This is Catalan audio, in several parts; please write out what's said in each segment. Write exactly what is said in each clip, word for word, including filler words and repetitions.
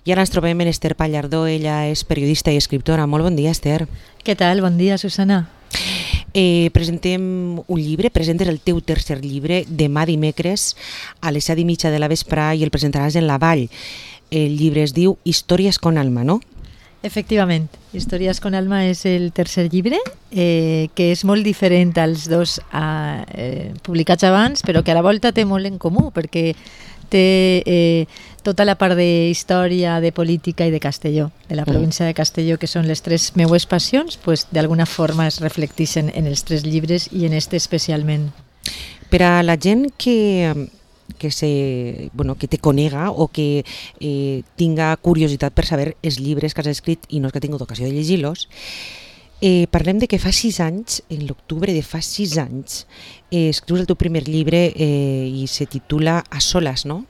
I ara ens trobem en Esther Pallardó, ella és periodista i escriptora. Molt bon dia, Esther. Què tal? Bon dia, Susana. Eh, presentem un llibre, presentes el teu tercer llibre demà dimecres a les set i mitja de la vesprà i el presentaràs en la Vall. El llibre es diu Històries con alma, no? Efectivament, Històries con alma és el tercer llibre, eh, que és molt diferent als dos eh, publicats abans, però que a la volta té molt en comú, perquè té eh, tota la part de història, de política i de Castelló, de la província de Castelló, que són les tres meues passions, pues, d'alguna forma es reflecteixen en els tres llibres i en este especialment. Per a la gent que... que, se, bueno, que te conega o que eh, tinga curiositat per saber els llibres que has escrit i no és que ha tingut ocasió de llegir-los, eh, parlem de que fa sis anys, en l'octubre de fa sis anys, eh, escrius el teu primer llibre eh, i se titula A solas, no?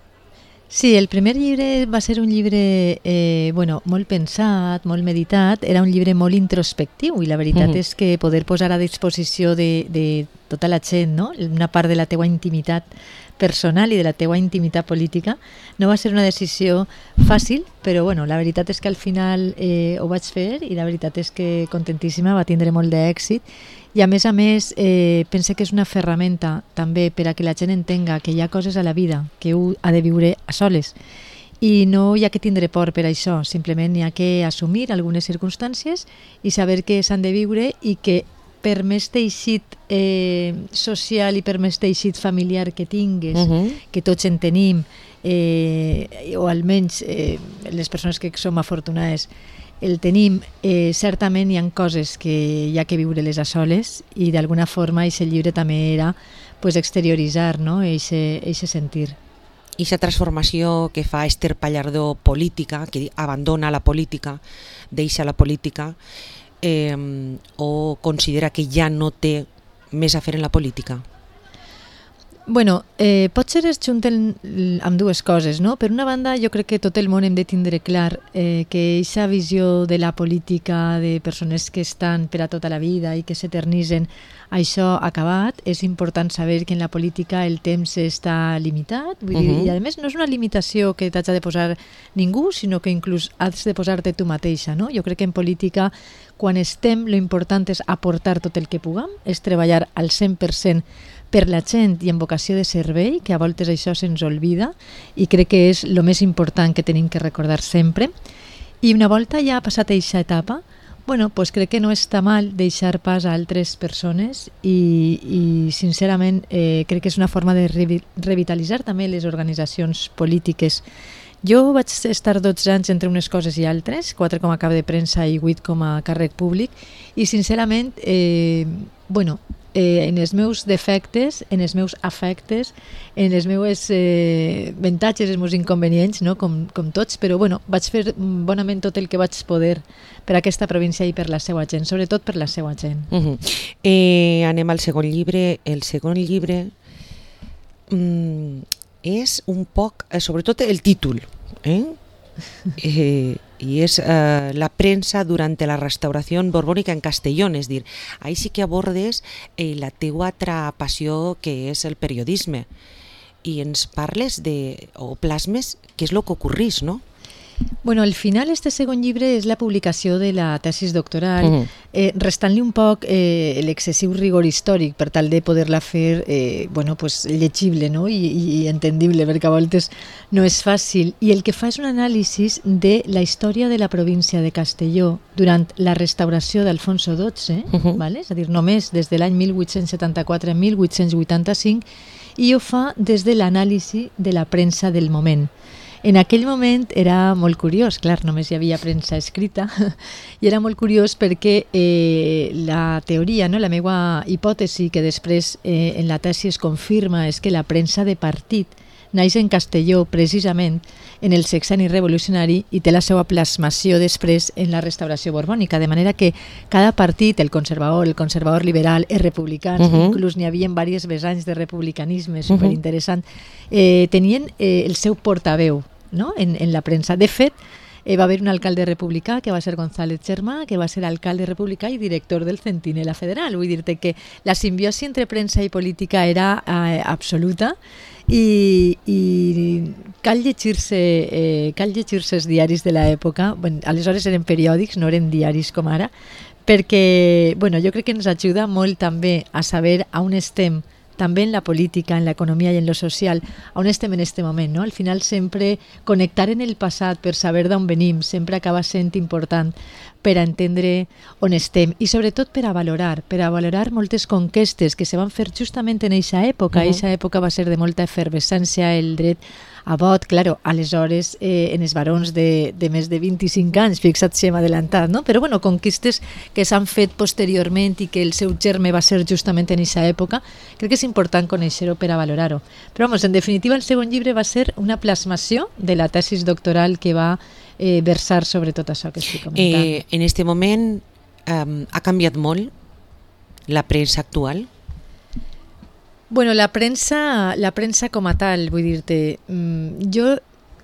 Sí, el primer llibre va ser un llibre eh, bueno, molt pensat, molt meditat, era un llibre molt introspectiu i la veritat mm-hmm. és que poder posar a disposició de, de tota la gent, no? Una part de la teua intimitat personal i de la teua intimitat política no va ser una decisió fàcil, però bueno, la veritat és que al final eh, ho vaig fer i la veritat és que contentíssima, va tindre molt d'èxit i a més a més eh, pense que és una ferramenta també per a que la gent entenga que hi ha coses a la vida que un ha de viure a soles i no hi ha que tindre por per això, simplement hi ha que assumir algunes circumstàncies i saber que s'han de viure i que per més teixit eh, social i per més teixit familiar que tingues, uh-huh. que tots en tenim, eh, o almenys eh, les persones que som afortunades, el tenim, eh, certament hi ha coses que hi ha que viure-les a soles i d'alguna forma aquest llibre també era pues, exterioritzar, no? eixe, eixe sentir. I aquesta transformació que fa Esther Pallardó política, que abandona la política, deixa la política, Eh, o considera que ja no té més a fer en la política? Bueno, eh, potser es junten amb dues coses, no? Per una banda, jo crec que tot el món hem de tindre clar eh, que aquesta visió de la política, de persones que estan per a tota la vida i que s'eternitzen, això ha acabat. És important saber que en la política el temps està limitat, vull dir, uh-huh. i a més no és una limitació que t'hagi de posar ningú, sinó que inclús has de posar-te tu mateixa, no? Jo crec que en política, quan estem, lo important és aportar tot el que puguem, és treballar al cent per cent per la gent i en vocació de servei, que a voltes això se'ns oblida i crec que és el més important que tenim que recordar sempre. I una volta ja ha passat aquesta etapa, bueno, pues crec que no està mal deixar pas a altres persones i, i sincerament eh, crec que és una forma de revi- revitalitzar també les organitzacions polítiques. Jo vaig estar dotze anys entre unes coses i altres, quatre com a cap de premsa i vuit com a càrrec públic i sincerament, eh, bueno, Eh, en els meus defectes, en els meus afectes, en els meus eh, avantatges i els meus inconvenients, no? com, com tots, però bueno, vaig fer bonament tot el que vaig poder per a aquesta província i per la seva gent, sobretot per la seva gent. Uh-huh. Eh, anem al segon llibre. El segon llibre mm, és un poc, eh, sobretot el títol, eh? eh i és eh, la premsa durant la restauració borbònica en Castellón, és dir, ahí sí que abordes eh, la teua altra passió que és el periodisme i ens parles de, o plasmes què és el que ocorrís, no? Bueno, al final este segon llibre és la publicació de la tesis doctoral, uh-huh. eh, restant-li un poc eh, l'excessiu rigor històric per tal de poder-la fer eh, bueno, pues, llegible, no? I, i entendible, perquè a voltes no és fàcil. I el que fa és un anàlisi de la història de la província de Castelló durant la restauració d'Alfonso dotze, uh-huh. vale? És a dir, només des de l'any mil vuit-cents setanta-quatre a mil vuit-cents vuitanta-cinc, i ho fa des de l'anàlisi de la premsa del moment. En aquell moment era molt curiós, clar, només hi havia premsa escrita, i era molt curiós perquè eh, la teoria, no, la meva hipòtesi, que després eh, en la tesi es confirma, és que la premsa de partit naix en Castelló precisament en el sexenni revolucionari i té la seva plasmació després en la restauració borbònica, de manera que cada partit, el conservador, el conservador liberal, els republicans, uh-huh. inclús n'hi havia diversos vessants de republicanisme superinteressant, uh-huh. eh, tenien eh, el seu portaveu, no? en, en la premsa. De fet, eh, va haver un alcalde republicà que va ser González Germà, que va ser alcalde republicà i director del Centinela Federal. Vull dir-te que la simbiosi entre premsa i política era eh, absoluta. I, i cal llegir-se eh, cal llegir-se els diaris de l'època. Bueno, aleshores eren periòdics, no eren diaris com ara, perquè bueno, jo crec que ens ajuda molt també a saber a on estem, també en la política, en l'economia i en lo social, on estem en este moment, no? Al final sempre connectar en el passat per saber d'on venim sempre acaba sent important per a entendre on estem i sobretot per a valorar, per a valorar moltes conquestes que se van fer justament en eixa època. Eixa uh-huh. època va ser de molta efervescència, el dret a vot, claro, aleshores eh, en els barons de, de més de vint-i-cinc anys, fixa't si hem adelantat, no? Però bueno, conquistes que s'han fet posteriorment i que el seu germe va ser justament en eixa època, crec que és important conèixer-ho per a valorar-ho. Però vamos, en definitiva el segon llibre va ser una plasmació de la tesis doctoral que va eh, versar sobre tot això que estic comentant. Eh, en este moment um, ha canviat molt la premsa actual? Bueno, la premsa, la premsa com a tal, vull dir-te, jo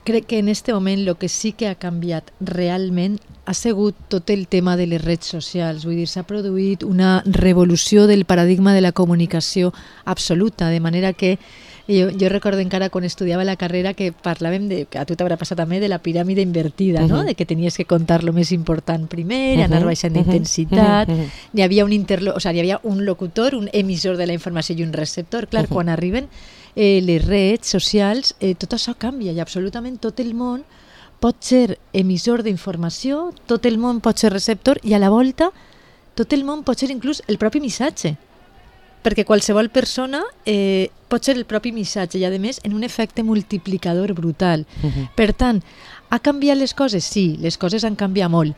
crec que en este moment el que sí que ha canviat realment ha sigut tot el tema de les redes socials. Vull dir, s'ha produït una revolució del paradigma de la comunicació absoluta, de manera que jo, jo recordo encara quan estudiava la carrera que parlàvem, de, que a tu t'haurà passat també, de la piràmide invertida, uh-huh. no? De que tenies que contar lo més important primer, uh-huh. anar baixant d'intensitat, uh-huh. n'hi havia un interlo, o sigui, hi havia un locutor, un emissor de la informació i un receptor. Clar, uh-huh. quan arriben eh, les redes socials, eh, tot això canvia i absolutament tot el món pot ser emissor d'informació, tot el món pot ser receptor i a la volta tot el món pot ser inclús el propi missatge, perquè qualsevol persona eh, pot ser el propi missatge i a més en un efecte multiplicador brutal. Uh-huh. Per tant, ha canviat les coses? Sí, les coses han canviat molt,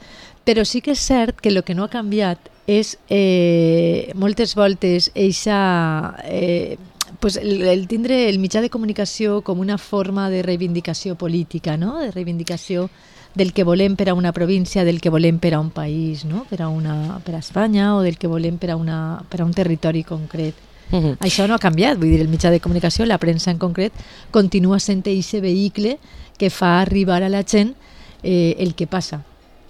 però sí que és cert que el que no ha canviat és eh, moltes voltes eixa... Eh, pues el, el tindre el mitjà de comunicació com una forma de reivindicació política, no? De reivindicació del que volem per a una província, del que volem per a un país, no? Per a una, per a Espanya, o del que volem per a, una, per a un territori concret. Uh-huh. Això no ha canviat, vull dir, el mitjà de comunicació, la premsa en concret, continua sent aquest vehicle que fa arribar a la gent eh, el que passa.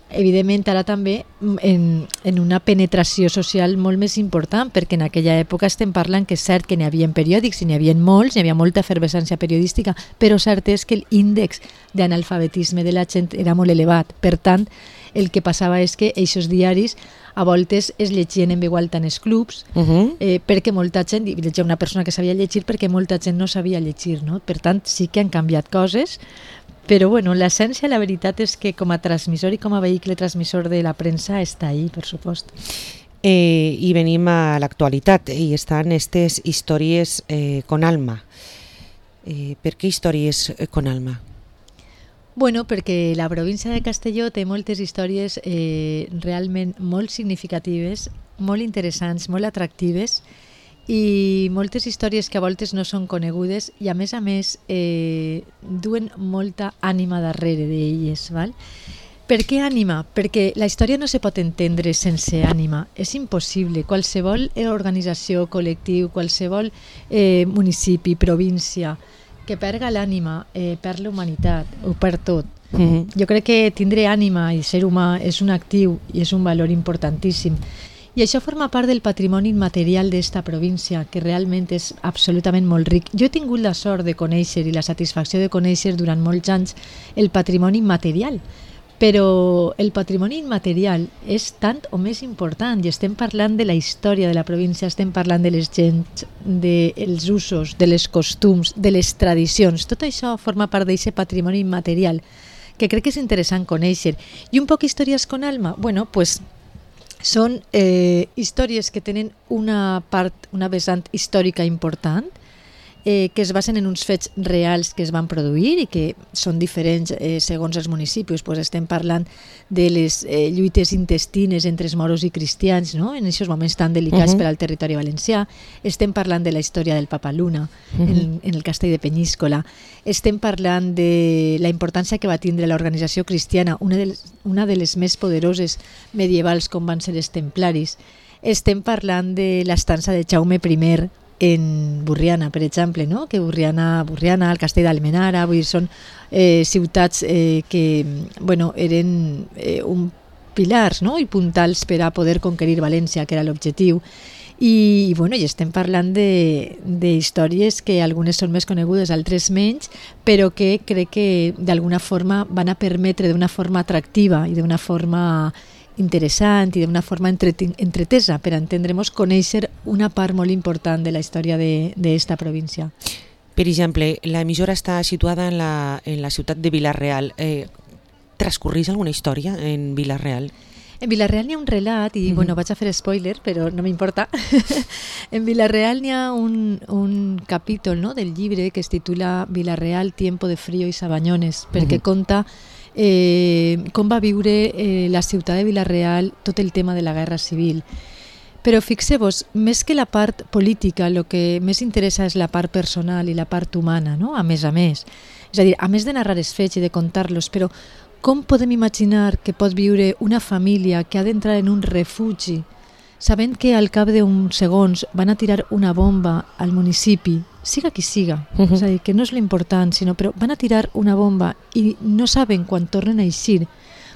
Evidentment ara també en, en una penetració social molt més important, perquè en aquella època estem parlant que és cert que n'hi havia periòdics, n'hi havia molts, n'hi havia molta efervescència periodística, però cert és que l'índex d'analfabetisme de la gent era molt elevat. Per tant, el que passava és que aquests diaris a voltes es llegien en veu alta en els clubs, uh-huh. eh, perquè molta gent, i llegia una persona que sabia llegir perquè molta gent no sabia llegir, no? Per tant, sí que han canviat coses, però bueno, l'essència, la veritat és que com a transmissor i com a vehicle transmissor de la premsa està ahí, per supost. Eh, I venim a l'actualitat, i estan aquestes històries eh, con alma. Eh, per què històries eh, con alma? Bueno, perquè la província de Castelló té moltes històries eh, realment molt significatives, molt interessants, molt atractives, i moltes històries que a voltes no són conegudes i a més a més eh, duen molta ànima darrere d'elles, val? Per què ànima? Perquè la història no se pot entendre sense ànima, és impossible. Qualsevol organització, col·lectiu, qualsevol eh, municipi, província que perga l'ànima, eh, perd la humanitat, ho perd tot. Mm-hmm. Jo crec que tindre ànima i ser humà és un actiu i és un valor importantíssim. I això forma part del patrimoni immaterial d'esta província, que realment és absolutament molt ric. Jo he tingut la sort de conèixer i la satisfacció de conèixer durant molts anys el patrimoni immaterial, però el patrimoni immaterial és tant o més important i estem parlant de la història de la província, estem parlant de les gents, dels usos, de les costums, de les tradicions. Tot això forma part d'aquest patrimoni immaterial que crec que és interessant conèixer. I un poc històries con alma? Bueno, pues són eh, històries que tenen una part, una vessant històrica important, eh, que es basen en uns fets reals que es van produir i que són diferents eh, segons els municipis. Pues estem parlant de les eh, lluites intestines entre els moros i cristians, no? En aquests moments tan delicats uh-huh. per al territori valencià. Estem parlant de la història del Papa Luna uh-huh. en, en el castell de Penyíscola. Estem parlant de la importància que va tindre l'organització cristiana, una de les, una de les més poderoses medievals com van ser els templaris. Estem parlant de l'estança de Jaume primer en Borriana, per exemple, no? Que Borriana, Borriana, el castell d'Almenara, vull dir, són eh, ciutats eh, que bueno, eren eh, un pilars, no? I puntals per a poder conquerir València, que era l'objectiu. I, bueno, i estem parlant d'històries que algunes són més conegudes, altres menys, però que crec que d'alguna forma van a permetre d'una forma atractiva i d'una forma interessant i d'una forma entretesa per entendre-nos conèixer una part molt important de la història d'esta província. Per exemple, l'emissora està situada en la, en la ciutat de Vila-real. Eh, transcorreix alguna història en Vila-real? En Vila-real n'hi ha un relat, i uh-huh. bueno, vaig a fer spoiler, però no m'importa. En Vila-real n'hi ha un, un capítol, no?, del llibre que es titula Vila-real, tiempo de frío y sabañones, perquè uh-huh. conta eh, com va viure eh, la ciutat de Vila-real tot el tema de la guerra civil. Però fixeu-vos, més que la part política, el que més interessa és la part personal i la part humana, no?, a més a més. És a dir, a més de narrar els fets i de contar-los, però com podem imaginar que pot viure una família que ha d'entrar en un refugi sabent que al cap d'uns segons van a tirar una bomba al municipi, siga qui siga, uh-huh. és a dir, que no és l'important, sinó però van a tirar una bomba i no saben quan tornen a eixir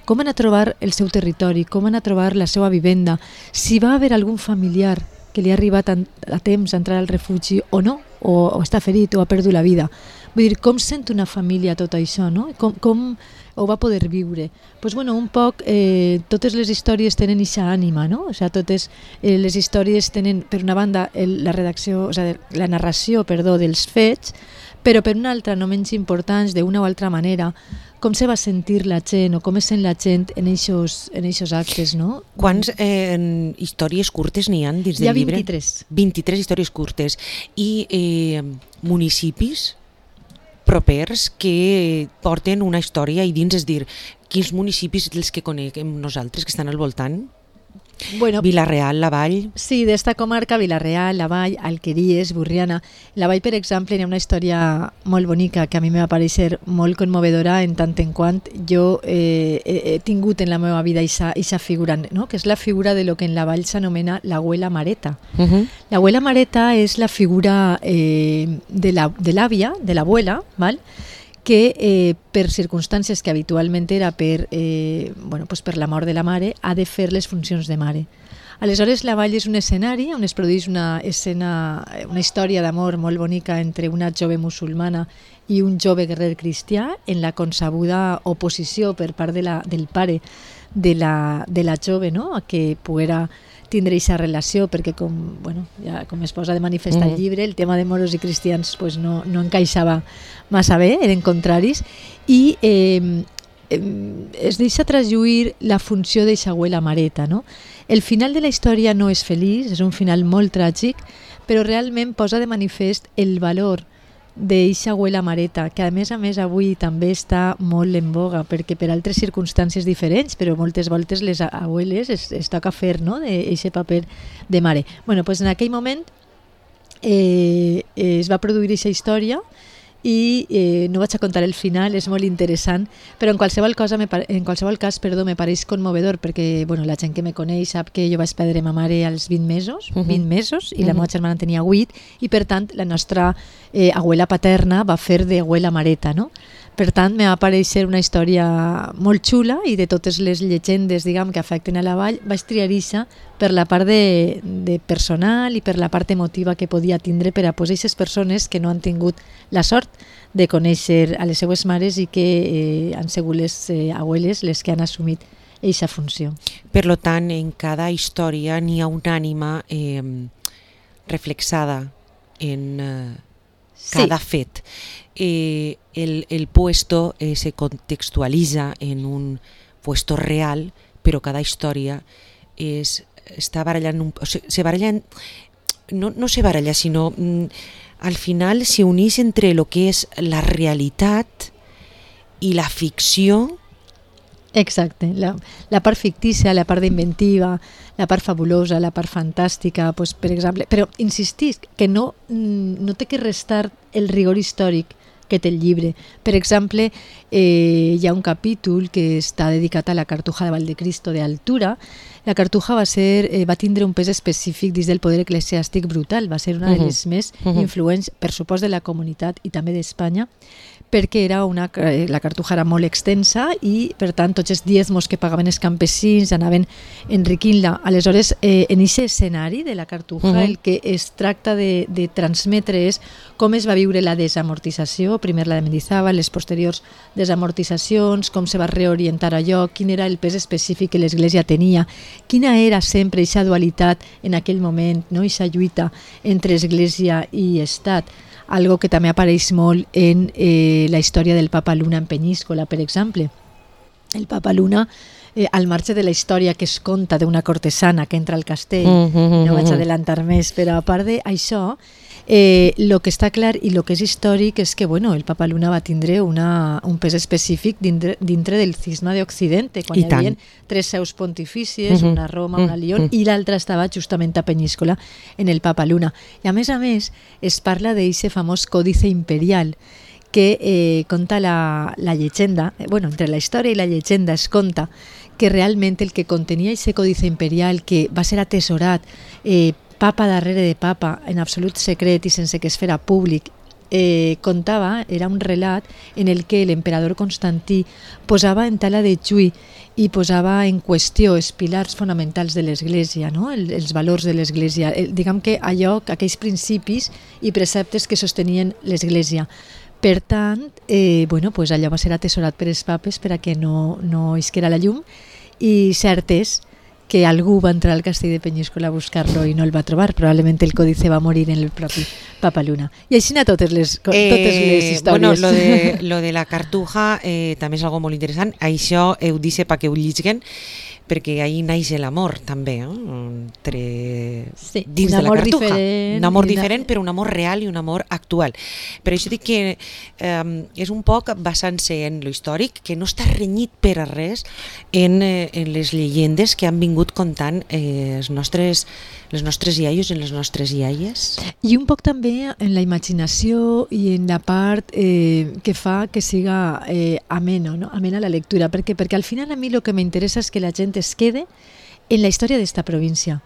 com van a trobar el seu territori, com van a trobar la seva vivenda, si va haver algun familiar que li ha arribat a, a temps a entrar al refugi o no, o, o està ferit o ha perdut la vida. Vull dir, com sent una família tot això, no? Com, com ho va poder viure? Pues bueno, un poc, eh, totes les històries tenen eixa ànima, no? O sea, totes eh, les històries tenen, per una banda, el, la redacció, o sea, la narració, perdó, dels fets, però per una altra, no menys importants, d'una o altra manera, com se va sentir la gent o com es sent la gent en eixos, en eixos actes, no? Quants eh, històries curtes n'hi ha dins del llibre? Hi ha vint-i-tres. vint-i-tres històries curtes. I eh, municipis propers que porten una història i dins, és dir, quins municipis els que coneguem nosaltres, que estan al voltant? Bueno, Vila-real, la Vall... Sí, d'esta comarca, Vila-real, la Vall, Alqueries, Borriana. La Vall, per exemple, hi ha una història molt bonica que a mi me va parecer molt conmovedora en tant en quant jo eh, he tingut en la meva vida aquesta figura, no? Que és la figura de lo que en la Vall s'anomena l'abuela Mareta. Uh-huh. L'abuela Mareta és la figura eh, de l'àvia, de l'abuela, val? que eh, per circumstàncies que habitualment era per, eh, bueno, pues per la mort de la mare, ha de fer les funcions de mare. Aleshores, la Vall és un escenari on es produeix una, escena, una història d'amor molt bonica entre una jove musulmana i un jove guerrer cristià en la concebuda oposició per part de la, del pare de la, de la jove, no?, a que poguera tindre aquesta relació, perquè com, bueno, ja, com es posa de manifest al llibre, el tema de moros i cristians pues no, no encaixava massa bé, eren contraris, i eh, es deixa traslluir la funció d'aquesta abuela Mareta, no? El final de la història no és feliç, és un final molt tràgic, però realment posa de manifest el valor d'eixa abuela Mareta, que a més a més avui també està molt en boga, perquè per altres circumstàncies diferents, però moltes voltes les abueles es, es toca fer, no?, d'eixe paper de mare. Bueno, pues en aquell moment eh, es va produir eixa història i eh, no vaig a contar el final, és molt interessant, però en qualsevol, cosa me, en qualsevol cas perdó, me pareix conmovedor, perquè bueno, la gent que me coneix sap que jo vaig perdre ma mare als vint mesos, uh-huh. vint mesos, i uh-huh. la meva germana tenia vuit, i per tant la nostra eh, abuela paterna va fer d'abuela Mareta, no? Per tant, me va aparèixer una història molt xula, i de totes les llegendes, diguem, que afecten a la Vall, vaig triar ixa per la part de, de personal i per la part emotiva que podia tindre per a posar aquestes persones que no han tingut la sort de conèixer a les seues mares i que eh, han sigut les eh, abueles les que han assumit aquesta funció. Per tant, en cada història n'hi ha una ànima eh, reflexada en eh, cada sí. fet. Eh, el, el puesto eh, se contextualiza en un puesto real, però cada història és, està barallant, un, o sigui, se baralla, no, no se baralla, sinó mm, al final se uneix entre lo que és la realitat i la ficció. Exacte, la, la part fictícia, la part d'inventiva, la part fabulosa, la part fantàstica, pues, per exemple, però insistisc que no, no té que restar el rigor històric que té el llibre. Per exemple, eh, hi ha un capítol que està dedicat a la Cartuja de Valdecristo d'Altura. La Cartuja va, ser, eh, va tindre un pes específic dins del poder eclesiàstic brutal, va ser una uh -huh. de les més uh -huh. influents, per supost, de la comunitat i també d'Espanya, perquè era una, la Cartuja era molt extensa i, per tant, tots els diezmos que pagaven els campesins anaven enriquint-la. Aleshores, eh, en aquest escenari de la Cartuja, uh -huh. el que es tracta de, de transmetre és com es va viure la desamortització, primer la de Mendizábal, les posteriors desamortitzacions, com se va reorientar allò, quin era el pes específic que l'Església tenia, quina era sempre aquesta dualitat en aquell moment, no? Aquesta lluita entre Església i Estat, algo que també apareix molt en eh, la història del Papa Luna en Penyíscola, per exemple. El Papa Luna, eh, al marge de la història que es conta d'una cortesana que entra al castell, mm -hmm. no vaig adelantar més, però a part d'això, eh, lo que està clar i lo que és històric és que bueno, el Papa Luna va tindre una, un pes específic dintre, dintre del cisma d'Occidente, quan I hi havia tant. tres seus pontifícies, mm -hmm. una a Roma, una a Lió, mm -hmm. i l'altra estava justament a Penyíscola, en el Papa Luna. I a més a més es parla d'aquest famós còdice imperial, que eh, conta la, la llegenda, eh, bueno, entre la història i la llegenda es conta que realment el que contenia aquest còdice imperial, que va ser atesorat eh, papa darrere de papa, en absolut secret i sense que es fera públic, eh, contava, era un relat en el que l'emperador Constantí posava en tala de juí i posava en qüestió els pilars fonamentals de l'Església, no? el, els valors de l'Església, el, diguem que allò, aquells principis i preceptes que sostenien l'Església. Per tant, eh, bueno, pues allò va ser atesorat per els papes per a que no, no isquera la llum, i cert és que algú va entrar al castell de Penyíscola a buscar-lo i no el va trobar. Probablement el còdice va morir en el propi Papa Luna. I així a totes les, totes eh, les històries. Bueno, lo de, lo de la Cartuja eh, també és algo molt interessant. Això heu dit perquè ho lliguen, perquè ahí naix l'amor també, eh? Entre... sí, dins de la Cartuja. Diferent, un amor una... diferent, però un amor real i un amor actual. Per això dic que eh, és un poc basant-se en lo històric, que no està renyit per a res en, eh, en les llegendes que han vingut contant eh, els nostres, les nostres iaios i les nostres iaies. I un poc també en la imaginació i en la part eh, que fa que siga eh, ameno, no? amena la lectura, perquè, perquè al final a mi el que m'interessa és que la gent es quede en la història d'esta província.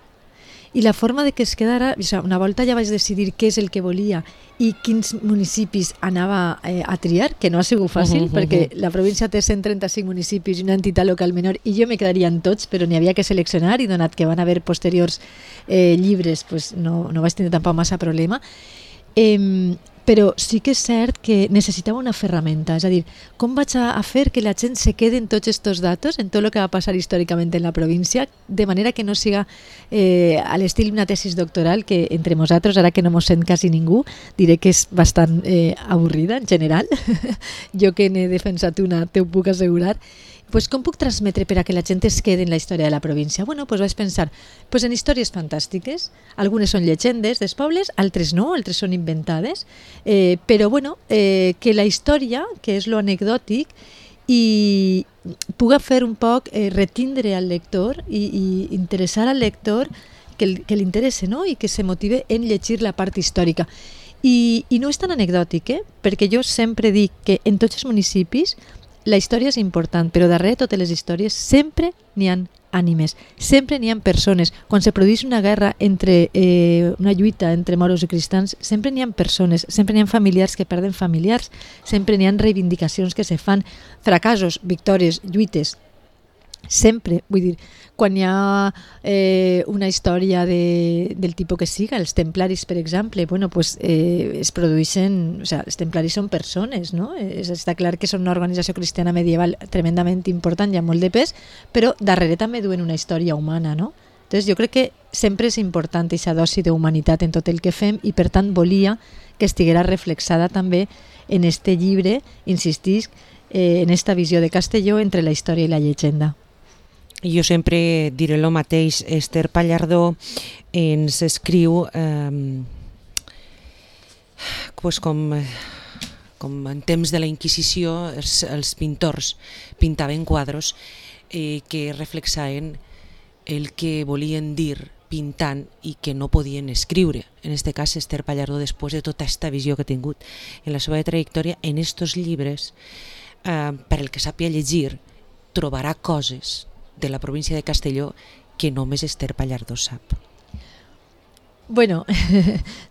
I la forma de que es quedara, o sigui, una volta ja vaig decidir què és el que volia i quins municipis anava eh, a triar, que no ha sigut fàcil, uh -huh, perquè uh -huh. la província té cent trenta-cinc municipis i una entitat local menor, i jo me quedaria en tots, però n'hi havia que seleccionar, i donat que van haver posteriors eh, llibres, pues no, no vaig tenir tampoc massa problema. Eh, però sí que és cert que necessitava una ferramenta, és a dir, com vaig a fer que la gent se quede en tots aquests datos, en tot el que va passar històricament en la província, de manera que no siga eh, a l'estil d'una tesis doctoral, que entre nosaltres, ara que no mos sent quasi ningú, diré que és bastant eh, avorrida en general. Jo que n'he defensat una, te ho puc assegurar. Pues com puc transmetre per a que la gent es quede en la història de la província? Bueno, pues vaig pensar pues en històries fantàstiques. Algunes són llegendes dels pobles, altres no, altres són inventades, eh, però bueno, eh, que la història, que és lo anecdòtic, i puga fer un poc eh, retindre al lector i, i interessar al lector que, que l'interesse, no? I que se motive en llegir la part històrica. I, i no és tan anecdòtic, eh? Perquè jo sempre dic que en tots els municipis la història és important, però darrere de totes les històries sempre n'hi ha ànimes, sempre n'hi ha persones. Quan se produeix una guerra, entre eh, una lluita entre moros i cristians, sempre n'hi ha persones, sempre n'hi ha familiars que perden familiars, sempre n'hi ha reivindicacions que se fan, fracassos, victòries, lluites, sempre, vull dir, quan hi ha eh, una història de, del tipus que siga, els templaris, per exemple, bueno, pues, eh, es produeixen, o sea, els templaris són persones, no? Es, està clar que són una organització cristiana medieval tremendament important i amb molt de pes, però darrere també duen una història humana, no? Entonces, jo crec que sempre és important aquesta dosi d'humanitat en tot el que fem, i per tant volia que estiguera reflexada també en este llibre, insistisc, eh, en esta visió de Castelló entre la història i la llegenda. Jo sempre diré el mateix. Esther Pallardó ens escriu eh, pues com, com en temps de la Inquisició els, els pintors pintaven quadros eh, que reflexaven el que volien dir pintant i que no podien escriure. En aquest cas, Ester Pallardó, després de tota aquesta visió que ha tingut en la seva trajectòria, en estos llibres, eh, per el que sàpiga llegir, trobarà coses de la província de Castelló que només Ester Pallardó sap. Bueno,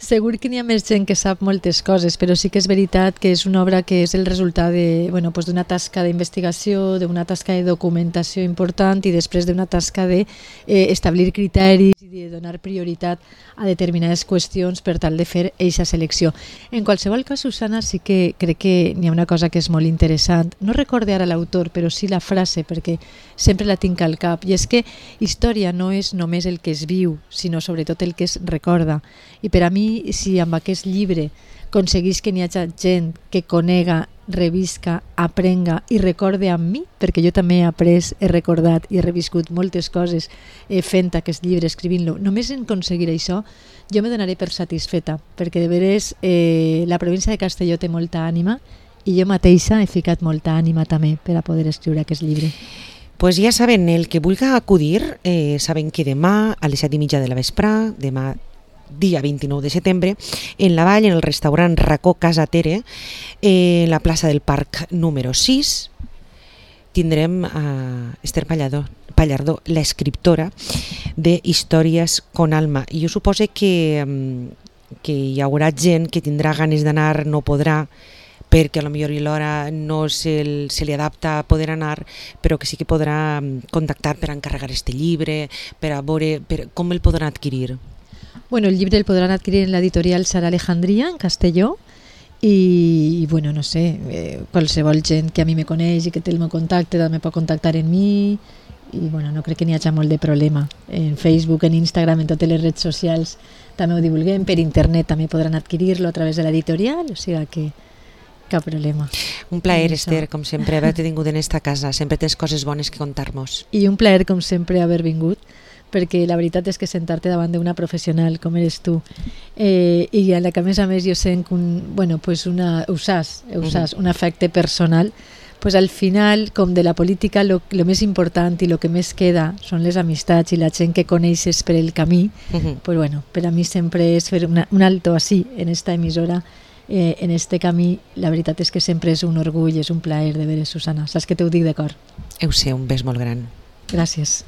segur que n'hi ha més gent que sap moltes coses, però sí que és veritat que és una obra que és el resultat de, bueno, pues d'una tasca d'investigació, d'una tasca de documentació important i després d'una tasca d'establir eh, criteris i de donar prioritat a determinades qüestions per tal de fer eixa selecció. En qualsevol cas, Susana, sí que crec que n'hi ha una cosa que és molt interessant. No recorde ara l'autor, però sí la frase, perquè sempre la tinc al cap, i és que història no és només el que es viu, sinó sobretot el que es recorda. I per a mi, si amb aquest llibre aconseguís que n'hi hagi gent que conega, revisca, aprenga i recorde amb mi, perquè jo també he après, he recordat i he reviscut moltes coses eh, fent aquest llibre, escrivint-lo, només en aconseguir això jo me donaré per satisfeta, perquè de veres eh, la província de Castelló té molta ànima i jo mateixa he ficat molta ànima també per a poder escriure aquest llibre. Pues ja saben, el que vulga acudir, eh, saben que demà a les set i mitja de la vesprà, demà dia vint-i-nou de setembre, en la Vall, en el restaurant Racó Casa Tere, eh, en la plaça del Parc número sis, tindrem a Ester Pallardó, Pallardó, l'escriptora de Històries con alma. I jo supose que, que hi haurà gent que tindrà ganes d'anar, no podrà, perquè a lo millor l'hora no se, se li adapta a poder anar, però que sí que podrà contactar per encarregar este llibre, per a veure per, com el podran adquirir. Bueno, el llibre el podran adquirir en l'editorial Sara Alejandría, en Castelló, i, i bueno, no sé, eh, qualsevol gent que a mi me coneix i que té el meu contacte també pot contactar en mi, i bueno, no crec que n'hi hagi molt de problema. En Facebook, en Instagram, en totes les redes socials també ho divulguem, per internet també podran adquirir-lo a través de l'editorial, o sigui que cap problema. Un plaer, Ester, com sempre, haver-te tingut en esta casa. Sempre tens coses bones que contar-nos. I un plaer, com sempre, haver vingut, perquè la veritat és que sentar-te davant d'una professional com eres tu eh, i a la que a més a més jo sent un, bueno, pues una, ho saps, ho saps, uh -huh. un afecte personal, pues al final, com de la política, lo, lo més important i lo que més queda són les amistats i la gent que coneixes per el camí. Uh -huh. Pues bueno, per a mi sempre és fer una, un alto així en esta emissora, eh, en este camí. La veritat és que sempre és un orgull, és un plaer de veure, Susana. Saps que t'ho dic de cor. Ho sé, un bes molt gran. Gràcies.